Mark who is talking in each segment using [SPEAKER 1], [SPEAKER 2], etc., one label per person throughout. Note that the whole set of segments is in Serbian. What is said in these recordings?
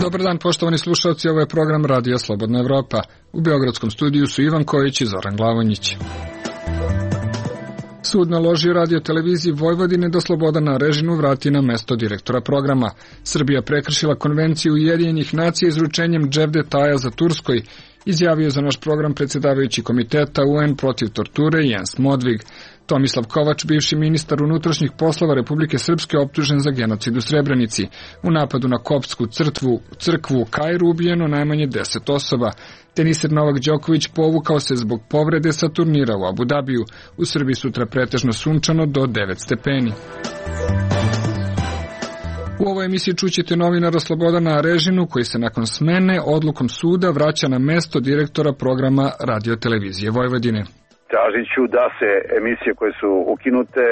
[SPEAKER 1] Dobar dan, poštovani slušalci, ovo je program Radija Slobodna Evropa. U Beogradskom studiju su Ivan Kojić i Zoran Glavonjić. Sud naložio Radio televiziji Vojvodine da Slobodana Arežinu vrati na mesto direktora programa. Srbija prekršila konvenciju Ujedinjenih nacija izručenjem Dževdetaja za Turskoj, izjavio za naš program predsjedavajući komiteta UN protiv torture Jens Modvig. Tomislav Kovač, bivši ministar unutrašnjih poslova Republike Srpske, optužen za genocid u Srebrenici. U napadu na koptsku crkvu u Kairu ubijeno najmanje 10 osoba. Teniser Novak Đoković povukao se zbog povrede sa turnira u Abu Dabiju. U Srbiji sutra pretežno sunčano do 9 stepeni. U ovoj emisiji čućete novinara Slobodana Arežinu, koji se nakon smene odlukom suda vraća na mesto direktora programa Radio televizije Vojvodine.
[SPEAKER 2] Tražit ću da se emisije koje su ukinute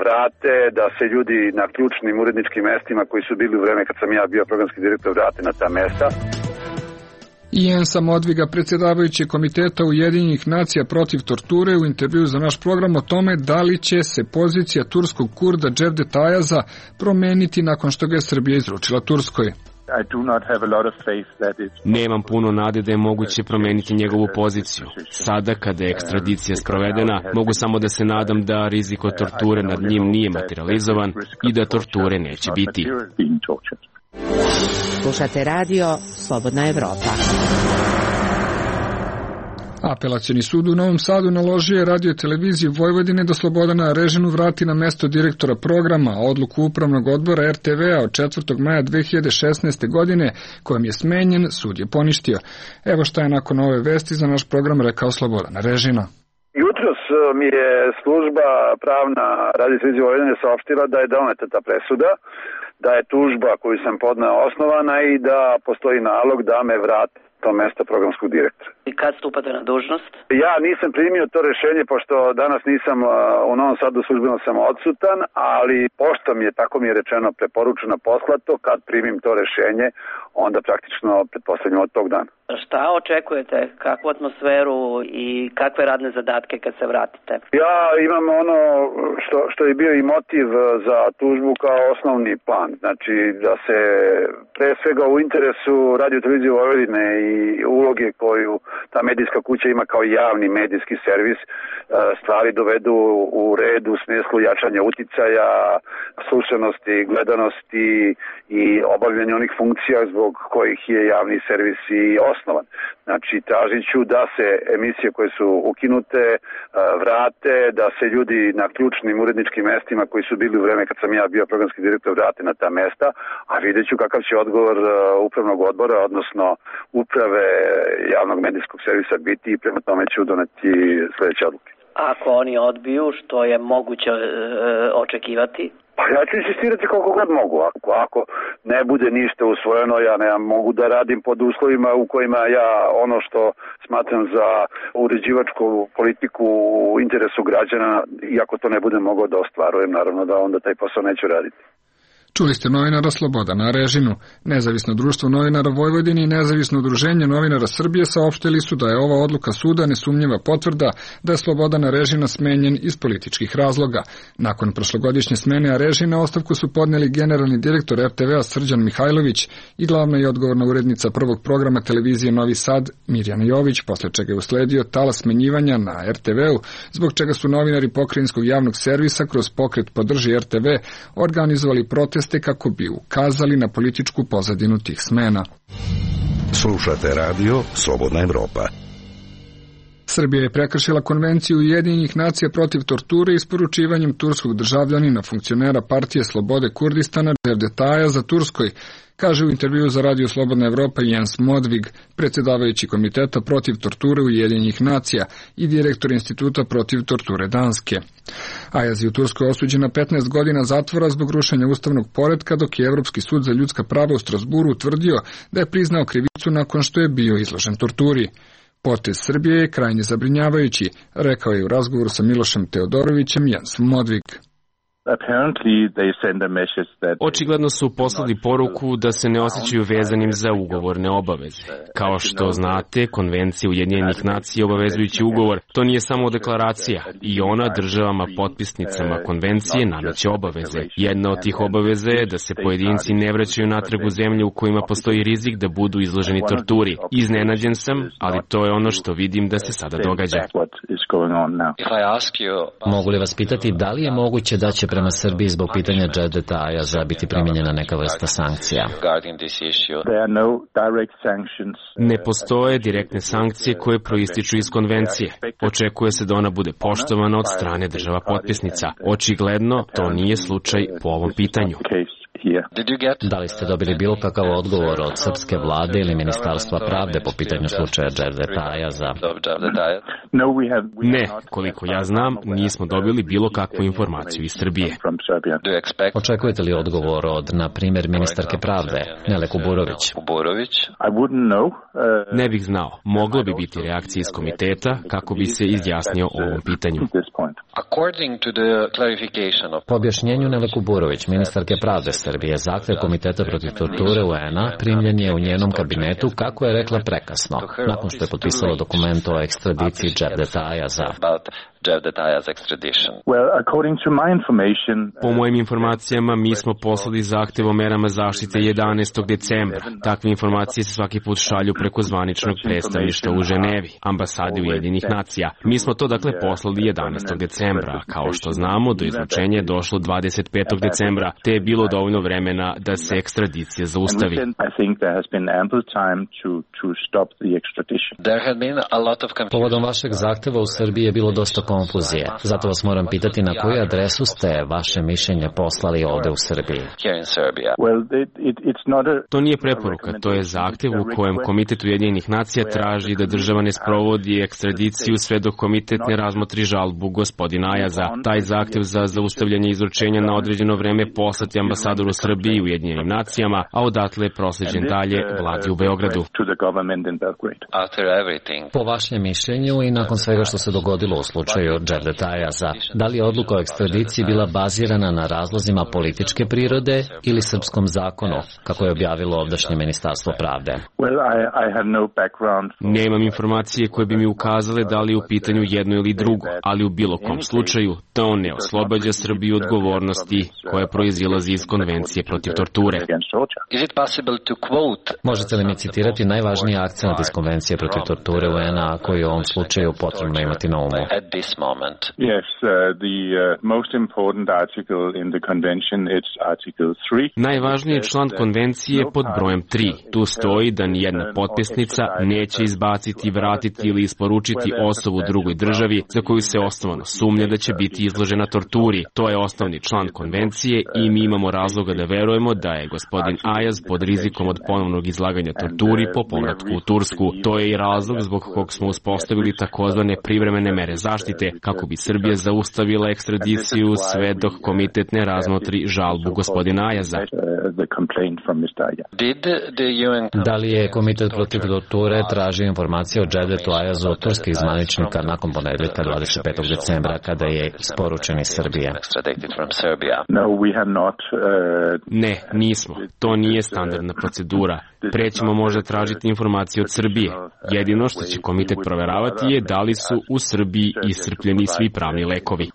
[SPEAKER 2] vrate, da se ljudi na ključnim uredničkim mestima koji su bili u vreme kad sam ja bio programski direktor vrate na ta mesta.
[SPEAKER 1] Jensa Modviga, predsjedavajući komiteta Ujedinjenih nacija protiv torture, u intervju za naš program o tome da li će se pozicija turskog Kurda Dževdetaja promeniti nakon što ga je Srbija izručila Turskoj.
[SPEAKER 3] Nemam puno nade da je moguće promeniti njegovu poziciju. Sada, kada je ekstradicija sprovedena, mogu samo da se nadam da rizik od torture nad njim nije materializovan i da torture neće biti.
[SPEAKER 4] Slušate radio Slobodna Evropa.
[SPEAKER 1] Apelacioni sud u Novom Sadu naložio je Radio televiziji Vojvodine da Slobodana Arežinu vrati na mesto direktora programa. Odluku Upravnog odbora RTV-a od 4. maja 2016. godine, kojom je smenjen, sud je poništio. Evo šta je nakon ove vesti za naš program rekao Slobodan Arežina.
[SPEAKER 2] Jutros mi je služba pravna Radio televizije Vojvodine saopštila da je doneta ta presuda, da je tužba koju sam podneo osnovana i da postoji nalog da me vrati to mesto programskog direktora.
[SPEAKER 5] I kad stupate na dužnost?
[SPEAKER 2] Ja nisam primio to rešenje, pošto danas nisam u Novom Sadu, službeno sam odsutan, ali pošto mi je, tako mi je rečeno, preporučeno poslato, kad primim to rešenje, onda praktično pretpostavljam od tog dana.
[SPEAKER 5] Šta očekujete? Kakvu atmosferu i kakve radne zadatke kad se vratite?
[SPEAKER 2] Ja imam ono što je bio i motiv za tužbu kao osnovni plan. Znači da se pre svega u interesu Radio televizije Vojvodine i uloge koju ta medijska kuća ima kao javni medijski servis, stvari dovedu u red u smislu jačanja uticaja, slušanosti, gledanosti i obavljanja onih funkcija zbog kojih je javni servis i osnovan. Znači, tražit ću da se emisije koje su ukinute vrate, da se ljudi na ključnim uredničkim mestima koji su bili u vreme kad sam ja bio programski direktor vrate na ta mesta, a vidjet ću kakav će odgovor Upravnog odbora, odnosno uprave javnog medijskog servisa biti i prema tome ću doneti sledeće odluke.
[SPEAKER 5] Ako oni odbiju, što je moguće očekivati?
[SPEAKER 2] Pa ja ću insistirati koliko god mogu. Ako ne bude ništa usvojeno, ja ne mogu da radim pod uslovima u kojima ja ono što smatram za uređivačku politiku u interesu građana, iako to ne budem mogao da ostvarujem, naravno da onda taj posao neću raditi.
[SPEAKER 1] Čuli ste novinara Slobodana Arežinu. Nezavisno društvo novinara Vojvodine i Nezavisno udruženje novinara Srbije saopštili su da je ova odluka suda nesumnjiva potvrda da je Slobodan Arežina smenjen iz političkih razloga. Nakon prošlogodišnje smene Arežina ostavku su podneli generalni direktor RTV-a Srđan Mihajlović i glavna i odgovorna urednica prvog programa televizije Novi Sad Mirjana Jović, posle čega je usledio talas smenjivanja na RTV-u, zbog čega su novinari Pokrajinskog javnog servisa kroz pokret Podrži RTV organizovali protest kako bi ukazali na političku pozadinu tih smena.
[SPEAKER 6] Slušate radio Slobodna Evropa.
[SPEAKER 1] Srbija je prekršila konvenciju Ujedinjenih nacija protiv torture isporučivanjem turskog državljanina, funkcionera partije Slobode Kurdistana Dževdetaja za Turskoj, kaže u intervju za Radio Slobodna Evropa Jens Modvig, predsjedavajući komiteta protiv torture Ujedinjenih nacija i direktor instituta protiv torture Danske. Ajaz je u Turskoj osuđen na 15 godina zatvora zbog rušenja ustavnog poretka, dok je Evropski sud za ljudska prava u Strasburu utvrdio da je priznao krivicu nakon što je bio izložen torturi. Potez Srbije je krajnje zabrinjavajući, rekao je u razgovoru sa Milošem Teodorovićem Jens Modvig.
[SPEAKER 3] Očigledno su poslali poruku da se ne osjećaju vezanim za ugovorne obaveze. Kao što znate, Konvencija Ujedinjenih nacija je obavezujući ugovor. To nije samo deklaracija i ona državama potpisnicama konvencije nameće obaveze. Jedna od tih obaveza je da se pojedinci ne vraćaju natrag u zemlje u kojima postoji rizik da budu izloženi torturi. Iznenađen sam, ali to je ono što vidim da se sada događa.
[SPEAKER 7] Mogu li vas pitati da li je moguće da će prema Srbiji zbog pitanja Cevdeta Ayaza biti primijenjena neka vrsta sankcija?
[SPEAKER 3] Ne postoje direktne sankcije koje proističu iz konvencije. Očekuje se da ona bude poštovana od strane država potpisnica. Očigledno to nije slučaj po ovom pitanju.
[SPEAKER 7] Da li ste dobili bilo kakav odgovor od srpske vlade ili Ministarstva pravde po pitanju slučaja Cevdeta Ayaza?
[SPEAKER 3] Ne, koliko ja znam, nismo dobili bilo kakvu informaciju iz Srbije.
[SPEAKER 7] Očekujete li odgovor od, na primjer, ministarke pravde, Nele Kuburović?
[SPEAKER 3] Ne bih znao. Moglo bi biti reakcija iz komiteta kako bi se izjasnio o ovom pitanju.
[SPEAKER 7] Po objašnjenju Nele Kuburović, ministarke pravde Srbije, zahtjev Komiteta protiv torture UN-a primljen je u njenom kabinetu, kako je rekla, prekasno, nakon što je potpisala dokument o ekstradiciji Cevdeta Ayaza.
[SPEAKER 3] Po mojim informacijama, mi smo poslali zahtev o merama zaštite 11. decembra. Takve informacije se svaki put šalju preko zvaničnog predstavništva u Ženevi, ambasade Ujedinjenih nacija. Mi smo to dakle poslali 11. decembra. Kao što znamo, do izručenja je došlo 25. decembra, te je bilo dovoljno vremena da se ekstradicija zaustavi.
[SPEAKER 7] Povodom vašeg zahteva u Srbiji je bilo dosta konfuzije. Zato vas moram pitati na koju adresu ste vaše mišljenje poslali ovde u Srbiji.
[SPEAKER 3] To nije preporuka, to je zahtev u kojem Komitet Ujedinjenih nacija traži da država ne sprovodi ekstradiciju sve dok komitet ne razmotri žalbu gospodina Ayaza. Taj zahtev za zaustavljanje izručenja na određeno vreme poslati ambasadoru Srbiji u Ujedinjenim nacijama, a odatle je prosleđen dalje vladi u Beogradu.
[SPEAKER 7] Po vašem mišljenju i nakon svega što se dogodilo u slučaju Cevdeta Ayaza, da li je odluka o ekstradiciji bila bazirana na razlozima političke prirode ili srpskom zakonu, kako je objavilo ovdašnje Ministarstvo pravde?
[SPEAKER 3] Nemam informacije koje bi mi ukazale da li je u pitanju jedno ili drugo, ali u bilo kom slučaju to ne oslobađa Srbiju odgovornosti koja proizilazi iz Konvencije protiv torture.
[SPEAKER 7] Možete li mi citirati najvažniji akcent iz Konvencije protiv torture UN-a koji u ovom slučaju potrebno imati na umu?
[SPEAKER 3] Najvažniji član konvencije je pod brojem 3. Tu stoji da nijedna potpisnica neće izbaciti, vratiti ili isporučiti osobu drugoj državi za koju se osnovano sumnja da će biti izložena torturi. To je osnovni član konvencije i mi imamo razloga da verujemo da je gospodin Ayaz pod rizikom od ponovnog izlaganja torturi po povratku u Tursku. To je i razlog zbog kog smo uspostavili takozvane privremene mere zaštite, kako bi Srbija zaustavila ekstradiciju sve dok komitet ne razmotri žalbu gospodina Ayaza.
[SPEAKER 7] Da li je Komitet protiv torture tražio informacije o Cevdetu Ayazu od turskih zvaničnika nakon ponedeljka 25. decembra kada je isporučen iz Srbije?
[SPEAKER 3] Ne, nismo. To nije standardna procedura. Pre ćemo možda tražiti informacije od Srbije. Jedino što će komitet proveravati je da li su u Srbiji iscrpljeni svi pravni lekovi.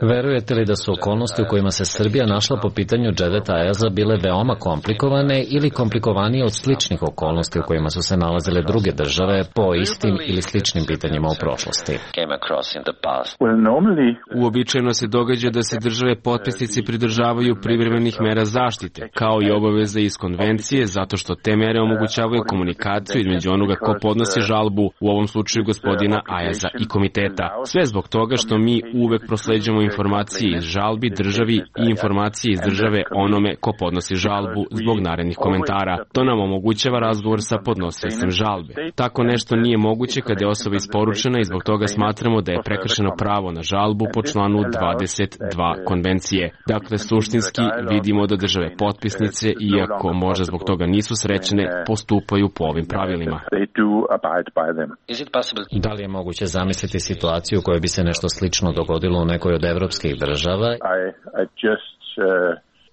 [SPEAKER 7] Verujete li da su okolnosti u kojima se Srbija našla po pitanju Cevdeta Ayaza bile veoma komplikovane ili komplikovanije od sličnih okolnosti u kojima su se nalazile druge države po istim ili sličnim pitanjima u prošlosti?
[SPEAKER 3] Uobičajeno se događa da se države potpisnici pridržavaju privremenih mera zaštite, kao i obaveze iz konvencije, zato što te mere omogućavaju komunikaciju između onoga ko podnosi žalbu, u ovom slučaju gospodina Ayaza i komiteta. Sve zbog toga što mi uvek prosleđujemo informacije iz žalbi državi i informacije iz države onome ko podnosi žalbu zbog narednih komentara. To nam omogućava razgovor sa podnosiocem žalbe. Tako nešto nije moguće kada je osoba isporučena i zbog toga smatramo da je prekršeno pravo na žalbu po članu 22 konvencije. Dakle, suštinski vidimo da države potpisnice, iako možda zbog toga nisu srećne, postupaju po ovim pravilima. pravilima.
[SPEAKER 7] Da li je moguće zamisliti situaciju u kojoj bi se nešto slično dogodilo u nekoj od evropskih država?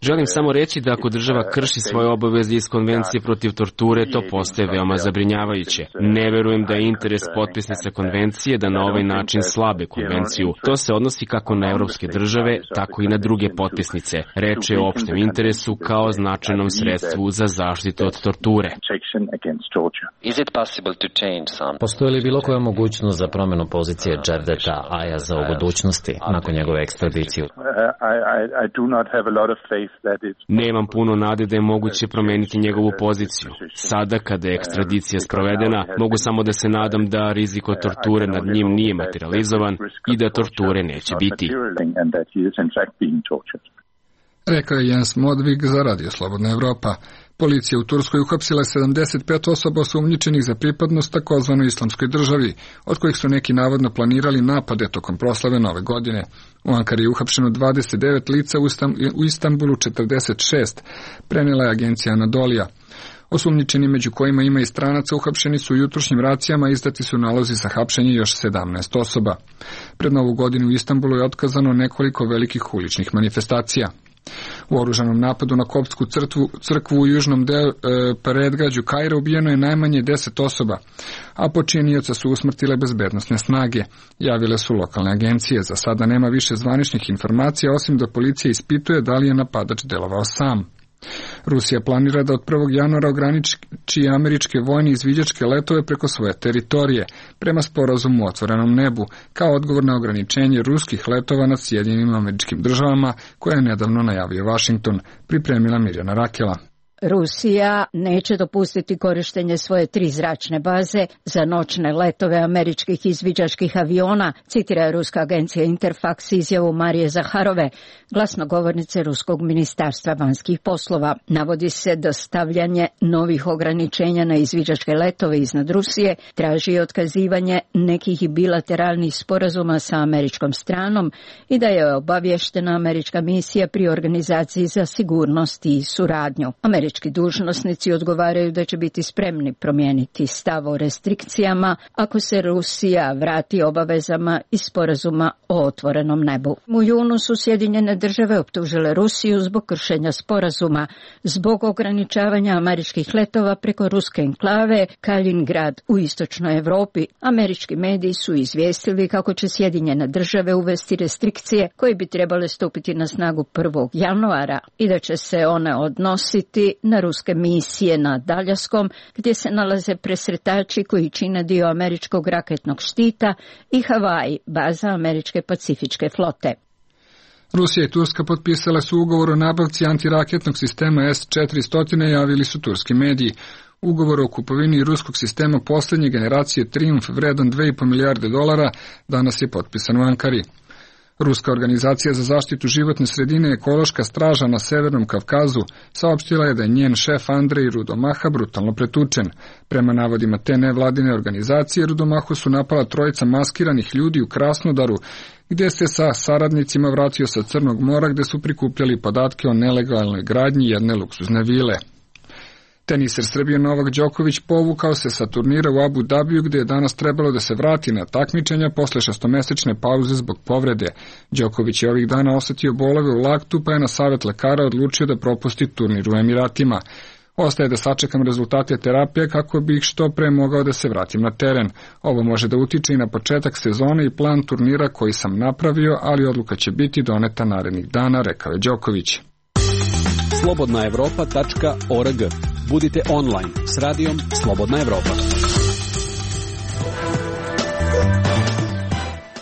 [SPEAKER 3] Želim samo reći da ako država krši svoje obaveze iz konvencije protiv torture, to postaje veoma zabrinjavajuće. Ne verujem da je interes potpisnica konvencije da na ovaj način slabe konvenciju. To se odnosi kako na evropske države, tako i na druge potpisnice. Reč je o opštem interesu kao značajnom sredstvu za zaštitu od torture.
[SPEAKER 7] Postoji li bilo koja mogućnost za promjenu pozicije Jevdeta Ayaza u budućnosti nakon njegove ekstradicije?
[SPEAKER 3] Nemam puno nade da je moguće promeniti njegovu poziciju. Sada, kada je ekstradicija sprovedena, mogu samo da se nadam da rizik od torture nad njim nije materializovan i da torture neće biti.
[SPEAKER 1] Rekao je Jens Modvig za Radio Slobodna Evropa. Policija u Turskoj uhapsila 75 osoba osumnjičenih za pripadnost takozvanoj islamskoj državi, od kojih su neki navodno planirali napade tokom proslave Nove godine. U Ankari je uhapšeno 29 lica, u Istanbulu 46, prenela je agencija Anadolija. Osumnjičeni, među kojima ima i stranaca, uhapšeni su u jutrošnjim racijama, izdati su nalozi za hapšenje još 17 osoba. Pred Novu godinu u Istanbulu je otkazano nekoliko velikih uličnih manifestacija. U oružanom napadu na koptsku crkvu u južnom predgrađu Kaira ubijeno je najmanje 10 osoba, a počinioca su usmrtile bezbednosne snage, javile su lokalne agencije. Za sada nema više zvaničnih informacija, osim da policija ispituje da li je napadač delovao sam. Rusija planira da od 1. januara ograniči američke vojne izviđačke letove preko svoje teritorije, prema sporazumu o otvorenom nebu, kao odgovor na ograničenje ruskih letova nad Sjedinjenim Američkim Državama, koje je nedavno najavio Washington, pripremila Mirjana Rakela.
[SPEAKER 8] Rusija neće dopustiti korištenje svoje 3 zračne baze za noćne letove američkih izviđačkih aviona, citira ruska agencija Interfax izjavu Marije Zaharove, glasnogovornice Ruskog ministarstva vanjskih poslova. Navodi se da stavljanje novih ograničenja na izviđačke letove iznad Rusije traži otkazivanje nekih bilateralnih sporazuma sa američkom stranom i da je obavještena američka misija pri Organizaciji za sigurnost i suradnju. Američki dužnosnici odgovaraju da će biti spremni promijeniti stav o restrikcijama ako se Rusija vrati obavezama iz sporazuma o otvorenom nebu. U junu su Sjedinjene države optužile Rusiju zbog kršenja sporazuma, zbog ograničavanja američkih letova preko ruske enklave Kaliningrad u istočnoj Europi. Američki mediji su izvijestili kako će Sjedinjene države uvesti restrikcije koje bi trebale stupiti na snagu 1. januara i da će se one odnositi na ruske misije na Daljaskom, gdje se nalaze presretači koji čine dio američkog raketnog štita, i Havaji, baza američke pacifičke flote.
[SPEAKER 1] Rusija i Turska potpisale su ugovor o nabavci antiraketnog sistema S-400, javili su turski mediji. Ugovor o kupovini ruskog sistema posljednje generacije Triumf vredan $2,5 milijarde danas je potpisan u Ankari. Ruska organizacija za zaštitu životne sredine Ekološka straža na Severnom Kavkazu saopštila je da je njen šef Andrej Rudomaha brutalno pretučen. Prema navodima te nevladine organizacije, Rudomahu su napala 3 maskiranih ljudi u Krasnodaru, gdje se sa saradnicima vratio sa Crnog mora, gdje su prikupljali podatke o nelegalnoj gradnji jedne luksuzne vile. Teniser Srbije Novak Đoković povukao se sa turnira u Abu Dabiju, gdje je danas trebalo da se vrati na takmičenja posle 6-mesečne pauze zbog povrede. Đoković je ovih dana osetio bolove u laktu, pa je na savjet lekara odlučio da propusti turnir u Emiratima. Ostaje da sačekam rezultate terapije kako bih što pre mogao da se vratim na teren. Ovo može da utiče i na početak sezone i plan turnira koji sam napravio, ali odluka će biti doneta narednih dana, rekao je Đoković.
[SPEAKER 9] slobodnaevropa.org. Budite online s radijom Slobodna Evropa.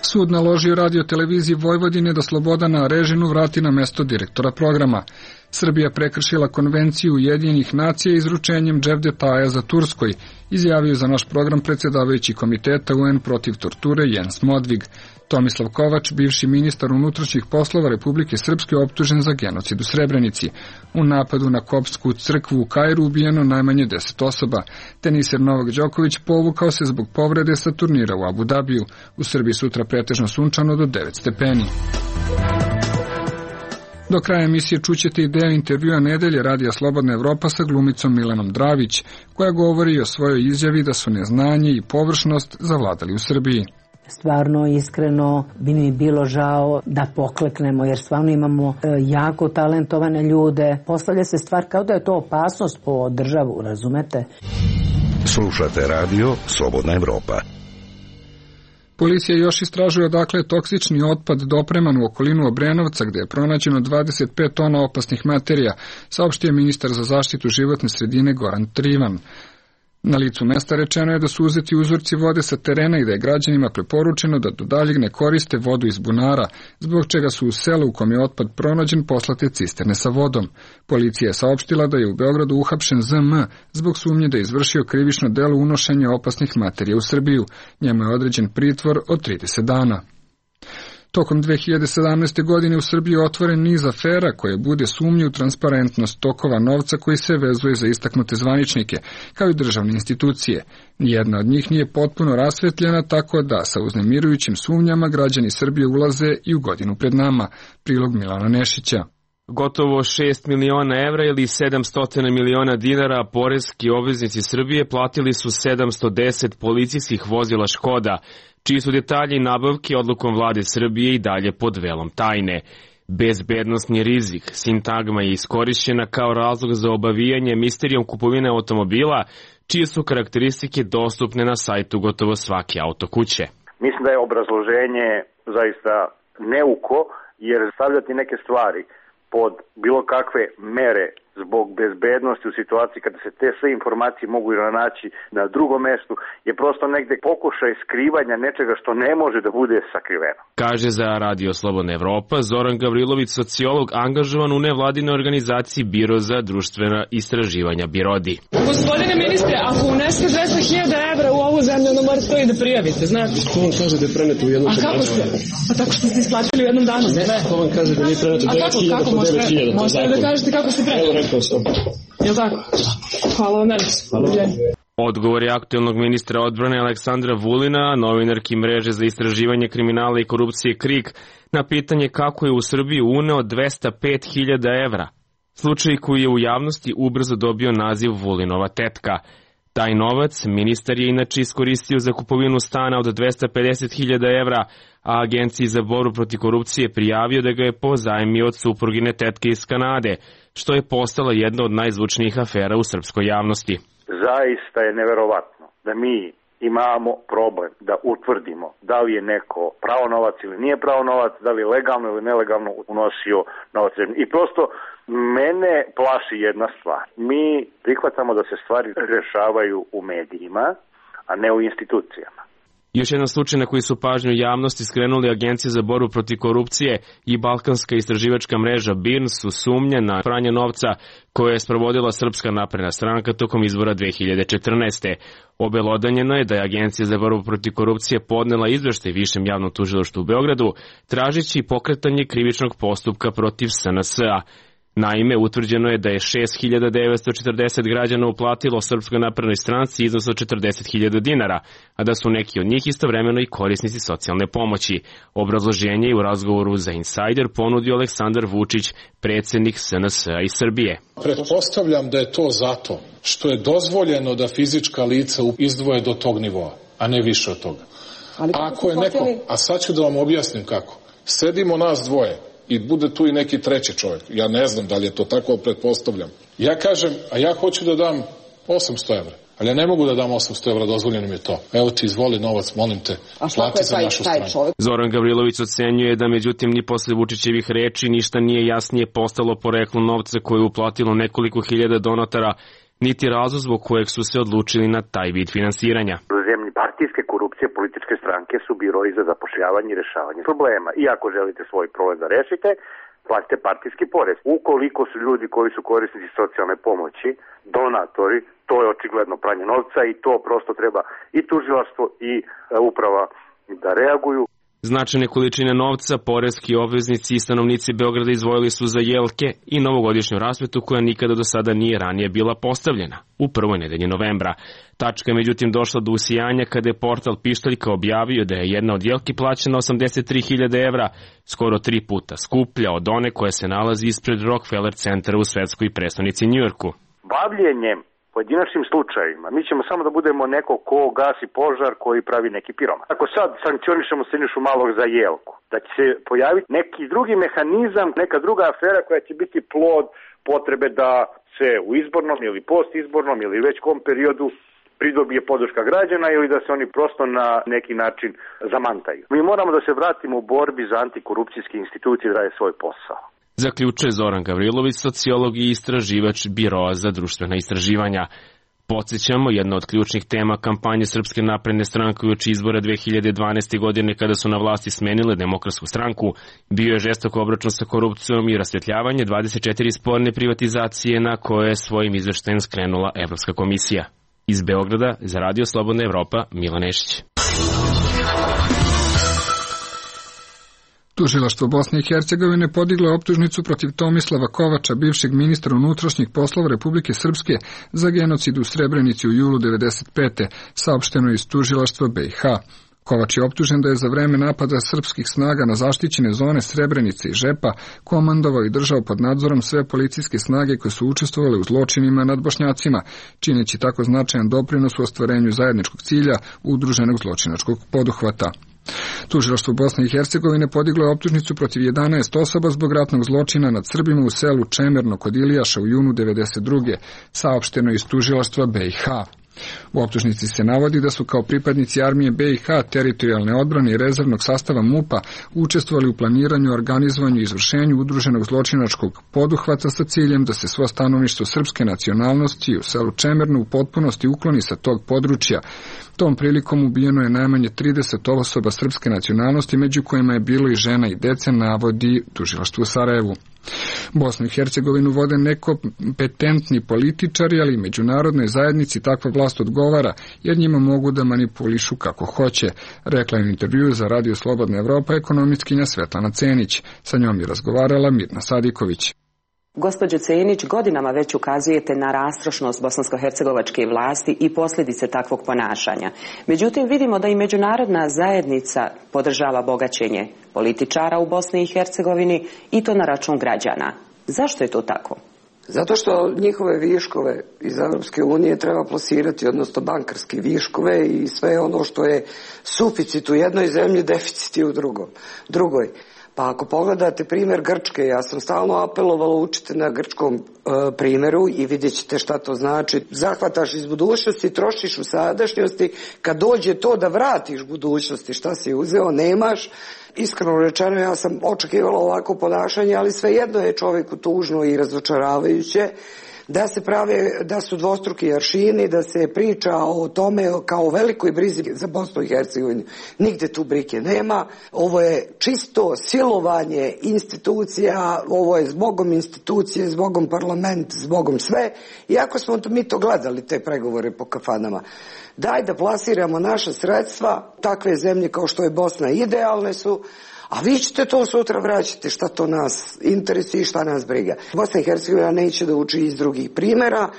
[SPEAKER 1] Sud naložio Radio televiziji Vojvodine da Slobodana Arežinu vrati na mesto direktora programa. Srbija prekršila konvenciju Ujedinjenih nacija izručenjem Jevdeta Ayaza Turskoj, izjavio za naš program predsjedavajući komiteta UN protiv torture Jens Modvig. Tomislav Kovač, bivši ministar unutrašnjih poslova Republike Srpske, optužen za genocid u Srebrenici. U napadu na koptsku crkvu u Kairu ubijeno najmanje 10 osoba. Teniser Novak Đoković povukao se zbog povrede sa turnira u Abu Dabiju. U Srbiji sutra pretežno sunčano do 9 stepeni. Do kraja emisije čućete i deo intervjua nedelje Radija Slobodna Evropa sa glumicom Milanom Dravić, koja govori o svojoj izjavi da su neznanje i površnost zavladali u Srbiji.
[SPEAKER 10] Stvarno, iskreno, bi mi bilo žao da pokleknemo, jer stvarno imamo jako talentovane ljude. Postavlja se stvar kao da je to opasnost po državu, razumete?
[SPEAKER 6] Slušate radio Slobodna Evropa.
[SPEAKER 1] Policija još istražuje odakle je toksični otpad dopreman u okolinu Obrenovca, gde je pronađeno 25 tona opasnih materija, saopštio ministar za zaštitu životne sredine Goran Trivan. Na licu mesta rečeno je da su uzeti uzorci vode sa terena i da je građanima preporučeno da do daljeg ne koriste vodu iz bunara, zbog čega su u selu u kom je otpad pronađen poslate cisterne sa vodom. Policija je saopštila da je u Beogradu uhapšen ZM zbog sumnje da je izvršio krivično delo unošenja opasnih materija u Srbiju. Njemu je određen pritvor od 30 dana. Tokom 2017. godine u Srbiji je otvoren niz afera koje bude sumnju u transparentnost tokova novca koji se vezuje za istaknute zvaničnike, kao i državne institucije. Nijedna od njih nije potpuno rasvetljena, tako da sa uznemirujućim sumnjama građani Srbije ulaze i u godinu pred nama. Prilog Milana Nešića.
[SPEAKER 3] Gotovo 6 miliona evra ili 700 miliona dinara poreski obveznici Srbije platili su 710 policijskih vozila Škoda, čiji su detalji nabavke odlukom vlade Srbije i dalje pod velom tajne. Bezbednosni rizik, sintagma je iskorišćena kao razlog za obavijanje misterijom kupovine automobila, čije su karakteristike dostupne na sajtu gotovo svake autokuće.
[SPEAKER 11] Mislim da je obrazloženje zaista neuko, jer stavljati neke stvari pod bilo kakve mere zbog bezbednosti u situaciji kada se te sve informacije mogu naći na drugom mestu je prosto negde pokušaj skrivanja nečega što ne može da bude sakriveno.
[SPEAKER 3] Kaže za Radio Slobodna Evropa Zoran Gavrilović, sociolog angažovan u nevladinoj organizaciji Biro za društvena istraživanja Birodi.
[SPEAKER 12] Gospodine ministre, ako uneste 200.000 evra u ovu zemlju, onda morate to i da prijavite, znate?
[SPEAKER 13] Ko vam kaže da je preneto u jednom danu?
[SPEAKER 12] A kako ste? Pa tako što ste isplatili u jednom danu.
[SPEAKER 13] Ne, ko vam kaže da nije preneto 9.000 po 9.000?
[SPEAKER 12] Možete da kažete kako ste preneli?
[SPEAKER 13] Evo rekao sam.
[SPEAKER 12] Jel' tako? Hvala vam najviše.
[SPEAKER 3] Odgovor je aktuelnog ministra odbrane Aleksandra Vulina, novinarki mreže za istraživanje kriminala i korupcije KRIK, na pitanje kako je u Srbiju uneo 205.000 evra. Slučaj koji je u javnosti ubrzo dobio naziv Vulinova tetka. Taj novac ministar je inače iskoristio za kupovinu stana od 250.000 evra, a Agenciji za borbu protiv korupcije prijavio da ga je pozajmio od suprugine tetke iz Kanade, što je postala jedna od najzvučnijih afera u srpskoj javnosti.
[SPEAKER 11] Zaista je neverovatno da mi imamo problem da utvrdimo da li je neko pravo novac ili nije pravo novac, da li je legalno ili nelegalno unosio novac. I prosto mene plaši jedna stvar. Mi prihvatamo da se stvari rešavaju u medijima, a ne u institucijama.
[SPEAKER 3] Još jedan slučaj na koji su pažnju javnosti skrenuli Agencija za borbu protiv korupcije i Balkanska istraživačka mreža BIRN su sumnje na pranje novca koje je sprovodila Srpska napredna stranka tokom izbora 2014. Obelodanjeno je da je Agencija za borbu protiv korupcije podnela izveštaj Višem javnom tužilaštvu u Beogradu, tražeći pokretanje krivičnog postupka protiv SNS-a. Naime, utvrđeno je da je 6.940 građana uplatilo Srpskoj naprednoj stranci iznos od 40.000 dinara, a da su neki od njih istovremeno i korisnici socijalne pomoći. Obrazloženje je u razgovoru za Insider ponudio Aleksandar Vučić, predsjednik SNS-a iz Srbije.
[SPEAKER 14] Pretpostavljam da je to zato što je dozvoljeno da fizička lica izdvoje do tog nivoa, a ne više od toga. Ako je neko, a sad ću da vam objasnim kako. Sedimo nas dvoje i bude tu i neki treći čovjek. Ja ne znam da li je to tako, pretpostavljam. Ja kažem, a ja hoću da dam 800 evra. Ali ja ne mogu da dam 800 evra, dozvoljeno mi je to. Evo ti, izvoli novac, molim te, plati za našu stranu.
[SPEAKER 3] Zoran Gavrilović ocenjuje da međutim ni posle Vučićevih reči ništa nije jasnije postalo poreklo novca koje je uplatilo nekoliko hiljada donatara, niti razlog zbog kojeg su se odlučili na taj vid finansiranja.
[SPEAKER 11] U zemlji partijske korupcije političke stranke su biroji za zapošljavanje i rešavanje problema. I ako želite svoj problem da rešite, platite partijski porez. Ukoliko su ljudi koji su korisnici socijalne pomoći, donatori, to je očigledno pranje novca i to prosto treba i tužilaštvo i uprava da reaguju.
[SPEAKER 3] Značajne količine novca, poreski obveznici i stanovnici Beograda izdvojili su za jelke i novogodišnju rasvetu koja nikada do sada nije ranije bila postavljena, u prvoj nedelji novembra. Tačka je međutim došla do usijanja kada je portal Pištaljka objavio da je jedna od jelki plaćena 83.000 evra, skoro 3 puta skuplja od one koja se nalazi ispred Rockefeller centra u svetskoj prestonici Njujorku.
[SPEAKER 11] Bavljenjem pojedinačnim slučajevima, mi ćemo samo da budemo neko ko gasi požar koji pravi neki piroman. Ako sad sankcionišemo Sinišu Malog za jelku, da će se pojaviti neki drugi mehanizam, neka druga afera koja će biti plod potrebe da se u izbornom ili postizbornom ili već kom periodu pridobije podrška građana ili da se oni prosto na neki način zamantaju. Mi moramo da se vratimo u borbi za antikorupcijske institucije da rade svoj posao.
[SPEAKER 3] Zaključuje Zoran Gavrilović, sociolog i istraživač Biroa za društvena istraživanja. Podsjećamo, jedna od ključnih tema kampanje Srpske napredne stranke uoči izbora 2012. godine kada su na vlasti smenile Demokratsku stranku, bio je žestok obračun sa korupcijom i rasvetljavanje 24 sporne privatizacije na koje je svojim izveštajem skrenula Evropska komisija. Iz Beograda za Radio Slobodna Evropa, Milan Nešić.
[SPEAKER 1] Tužilaštvo Bosne i Hercegovine podiglo je optužnicu protiv Tomislava Kovača, bivšeg ministra unutrašnjih poslova Republike Srpske, za genocid u Srebrenici u julu 1995. saopšteno iz tužilaštva BiH. Kovač je optužen da je za vreme napada srpskih snaga na zaštićene zone Srebrenice i Žepa komandovao i držao pod nadzorom sve policijske snage koje su učestvovale u zločinima nad Bošnjacima, čineći tako značajan doprinos u ostvarenju zajedničkog cilja udruženog zločinačkog poduhvata. Tužilaštvo Bosne i Hercegovine podiglo je optužnicu protiv 11 osoba zbog ratnog zločina nad Srbima u selu Čemerno kod Ilijaša u junu 1992. saopšteno iz tužilaštva BiH. U optužnici se navodi da su kao pripadnici armije BiH, teritorijalne odbrane i rezervnog sastava MUP-a učestvovali u planiranju, organizovanju i izvršenju udruženog zločinačkog poduhvata sa ciljem da se svo stanovništvo srpske nacionalnosti u selu Čemerno u potpunosti ukloni sa tog područja. Tom prilikom ubijeno je najmanje 30 osoba srpske nacionalnosti, među kojima je bilo i žena i dece, navodi tužilaštvo u Sarajevu. Bosnu i Hercegovinu vode nekompetentni političari, ali i međunarodnoj zajednici takva vlast odgovara, jer njima mogu da manipulišu kako hoće, rekla je u intervjuu za Radio Slobodna Evropa ekonomistkinja Svetlana Cenić. Sa njom je razgovarala Mirna Sadiković.
[SPEAKER 15] Gospođo Cenić, godinama već ukazujete na rastrošnost bosansko-hercegovačke vlasti i posljedice takvog ponašanja. Međutim, vidimo da i međunarodna zajednica podržava bogaćenje političara u Bosni i Hercegovini i to na račun građana. Zašto je to tako?
[SPEAKER 16] Zato što njihove viškove iz Europske unije treba plasirati, odnosno bankarske viškove i sve ono što je suficit u jednoj zemlji, deficit je u drugoj. Pa ako pogledate primjer Grčke, ja sam stalno apelovala učite na grčkom primjeru i vidjet ćete šta to znači. Zahvataš iz budućnosti, trošiš u sadašnjosti, kad dođe to da vratiš budućnosti, šta si uzeo, nemaš. Iskreno rečeno, ja sam očekivala ovako ponašanje, ali svejedno je čovjeku tužno i razočaravajuće da se prave, da su dvostruki aršini, da se priča o tome kao o velikoj brizi za Bosnu i Hercegovinu. Nigde tu brige nema. Ovo je čisto silovanje institucija, ovo je zbogom institucije, zbogom parlament, zbogom sve. Iako smo mi to gledali, te pregovore po kafanama. Daj da plasiramo naša sredstva, takve zemlje kao što je Bosna idealne su, a vi ćete to sutra vraćati, šta to nas interesuje i šta nas briga. Bosna i Hercegovina neće da uči iz drugih primjera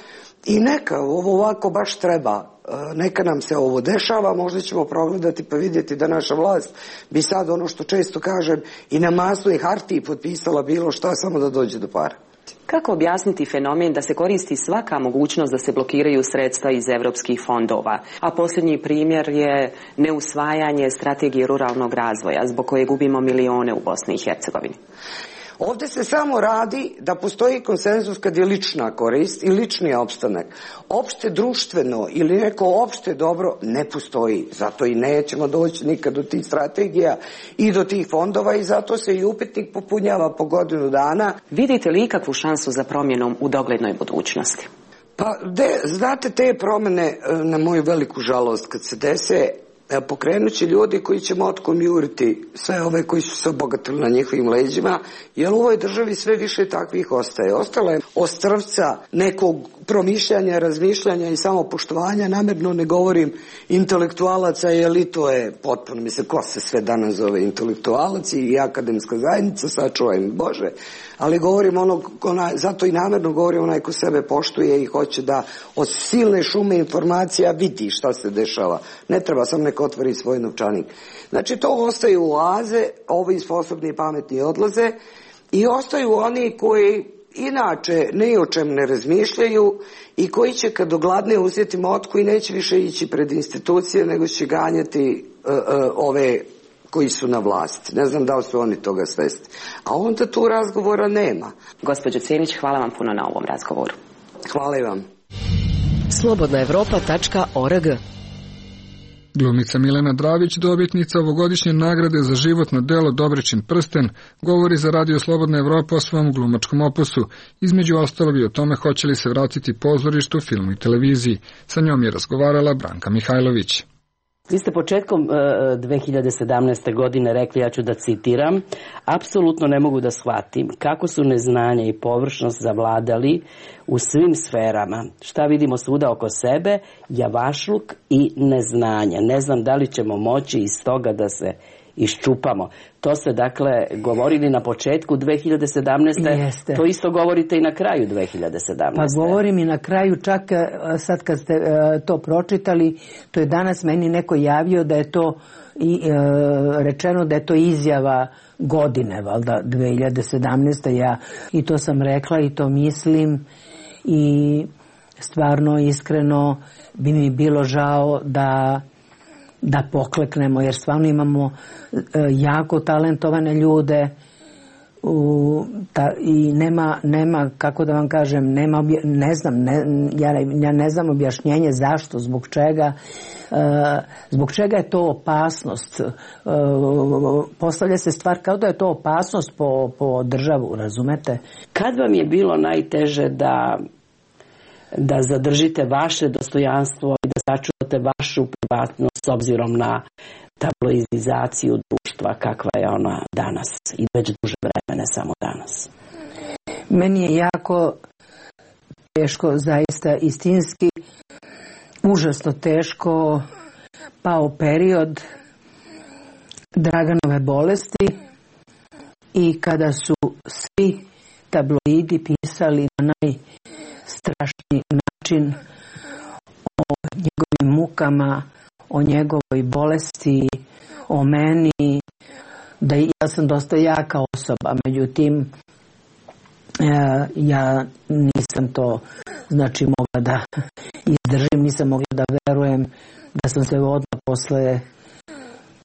[SPEAKER 16] i neka ovo ovako baš treba. Neka nam se ovo dešava, možda ćemo progledati pa vidjeti da naša vlast bi sad ono što često kažem i na masnoj hartiji potpisala bilo šta samo da dođe do para.
[SPEAKER 15] Kako objasniti fenomen da se koristi svaka mogućnost da se blokiraju sredstva iz evropskih fondova? A posljednji primjer je neusvajanje strategije ruralnog razvoja, zbog koje gubimo milione u Bosni i Hercegovini.
[SPEAKER 16] Ovdje se samo radi da postoji konsenzus kad je lična korist i lični opstanak. Opšte društveno ili neko opšte dobro ne postoji. Zato i nećemo doći nikad do tih strategija i do tih fondova i zato se i upitnik popunjava po godinu dana.
[SPEAKER 15] Vidite li ikakvu šansu za promjenom u doglednoj budućnosti?
[SPEAKER 16] Pa, znate, te promjene, na moju veliku žalost, kad se dese, pokrenut će ljudi koji će motkom juriti sve ove koji su se obogatili na njihovim leđima, jer u ovoj državi sve više takvih ostaje. Ostala je ostrvca nekog promišljanja, razmišljanja i samopoštovanja, namjerno ne govorim intelektualaca, jer i to je potpuno, mislim, ko se sve danas zove intelektualac i akademska zajednica, sačuvaj Bože, ali govorim zato i namjerno govorim onaj ko sebe poštuje i hoće da od silne šume informacija vidi šta se dešava. Ne treba, sam neko otvori svoj novčanik. Znači, to ostaju oaze, ovi sposobni i pametni odlaze i ostaju oni koji inače ni o čem ne razmišljaju i koji će kad ogladne uzeti motku i neće više ići pred institucije, nego će ganjati ove koji su na vlasti. Ne znam da li su oni toga svesni. A onda tu razgovora nema.
[SPEAKER 15] Gospođo Cenić, hvala vam puno na ovom razgovoru.
[SPEAKER 16] Hvala i vam.
[SPEAKER 4] slobodnaevropa.org.
[SPEAKER 1] Glumica Milena Dravić, dobitnica ovogodišnje nagrade za životno delo Dobričin prsten, govori za Radio Slobodna Evropa o svom glumačkom opusu. Između ostalog i o tome hoće li se vratiti pozorištu, filmu i televiziji. Sa njom je razgovarala Branka Mihajlović.
[SPEAKER 17] Vi ste početkom 2017. godine rekli, ja ću da citiram, apsolutno ne mogu da shvatim kako su neznanje i površnost zavladali u svim sferama. Šta vidimo svuda oko sebe, javašluk i neznanje. Ne znam da li ćemo moći iz toga da se iščupamo. To ste dakle govorili na početku 2017.
[SPEAKER 10] Jeste.
[SPEAKER 17] To isto govorite i na kraju 2017.
[SPEAKER 10] Pa govorim i na kraju, čak sad kad ste to pročitali, to je danas meni neko javio da je to rečeno da je to izjava godine, valjda 2017. I to sam rekla i to mislim i stvarno iskreno bi mi bilo žao da pokleknemo, jer stvarno imamo jako talentovane ljude i nema, kako da vam kažem, ja ne znam objašnjenje zašto, zbog čega je to opasnost. Postavlja se stvar kao da je to opasnost po državu, razumete?
[SPEAKER 17] Kad vam je bilo najteže da zadržite vaše dostojanstvo i da sačuvate vašu privatnost s obzirom na tabloidizaciju društva kakva je ona danas i već duže vreme, ne samo danas?
[SPEAKER 10] Meni je jako teško, zaista istinski, užasno teško pao period Draganove bolesti i kada su svi tabloidi pisali na najstrašniji način o njegovim mukama, o njegovoj bolesti, o meni, da ja sam dosta jaka osoba, međutim ja nisam to mogla da izdržim, nisam mogla da verujem da sam se odmah posle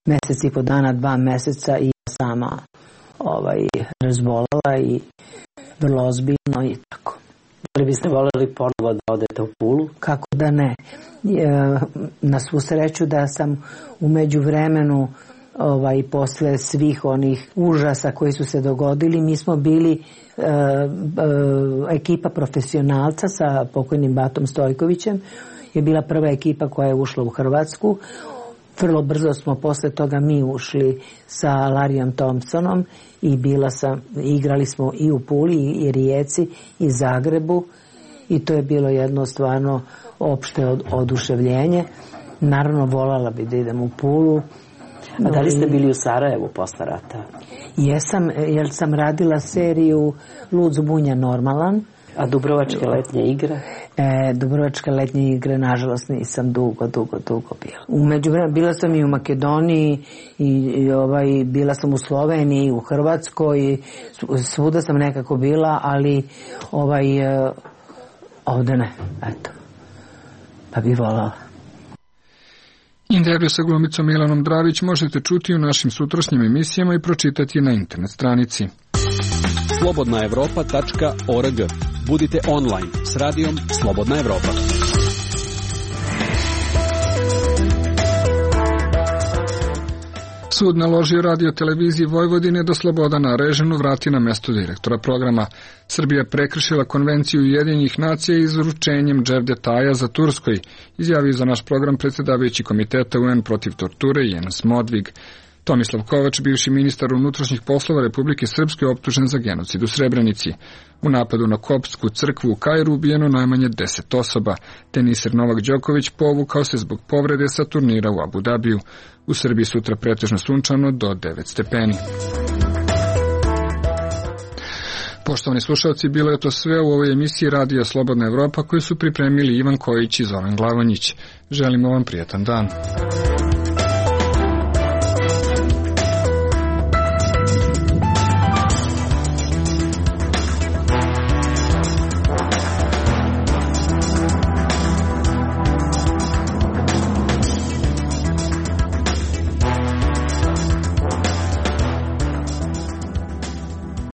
[SPEAKER 10] mesec i po dana, 2 meseca i ja sama razbolala i vrlo ozbiljno i tako.
[SPEAKER 17] Da li biste voljeli ponovo da odete u Pulu?
[SPEAKER 10] Kako da ne. Na svu sreću da sam u međuvremenu posle svih onih užasa koji su se dogodili, mi smo bili ekipa profesionalca sa pokojnim Batom Stojkovićem, je bila prva ekipa koja je ušla u Hrvatsku. Vrlo brzo smo posle toga mi ušli sa Larijom Thompsonom i igrali smo i u Puli i Rijeci i Zagrebu i to je bilo jedno stvarno opšte oduševljenje. Naravno voljela bi da idem u Pulu.
[SPEAKER 17] A da li ste bili u Sarajevu posle rata?
[SPEAKER 10] Jesam, jer sam radila seriju Lud zbunja normalan.
[SPEAKER 17] A Dubrovačke letnje igre?
[SPEAKER 10] Dubrovačke letnje igre, nažalost, nisam dugo bila. Umeđuvremenu bila sam i u Makedoniji i bila sam u Sloveniji, u Hrvatskoj, svuda sam nekako bila, ali ovde ne, eto. Pa bi voljela.
[SPEAKER 1] Intervju sa glumicom Milanom Dravić možete čuti u našim sutrašnjim emisijama i pročitati na internet stranici.
[SPEAKER 9] slobodnaevropa.org. Budite online s radijom Slobodna Evropa.
[SPEAKER 1] Sud naložio Radio televiziji Vojvodine da Slobodana Arežinu vrati na mesto direktora programa. Srbija prekršila konvenciju Ujedinjenih nacija izručenjem Dževdetaja za Turskoj, izjavio za naš program predsjedavajući komiteta UN protiv torture Jens Modvig. Tomislav Kovač, bivši ministar unutrašnjih poslova Republike Srpske, optužen za genocid u Srebrenici. U napadu na koptsku crkvu u Kairu ubijeno najmanje 10 osoba. Teniser Novak Đoković povukao se zbog povrede sa turnira u Abu Dabiju. U Srbiji sutra pretežno sunčano do 9 stepeni. Poštovani slušalci, bilo je to sve u ovoj emisiji Radija Slobodna Evropa koju su pripremili Ivan Kojić i Zoran Glavonjić. Želimo vam prijetan dan.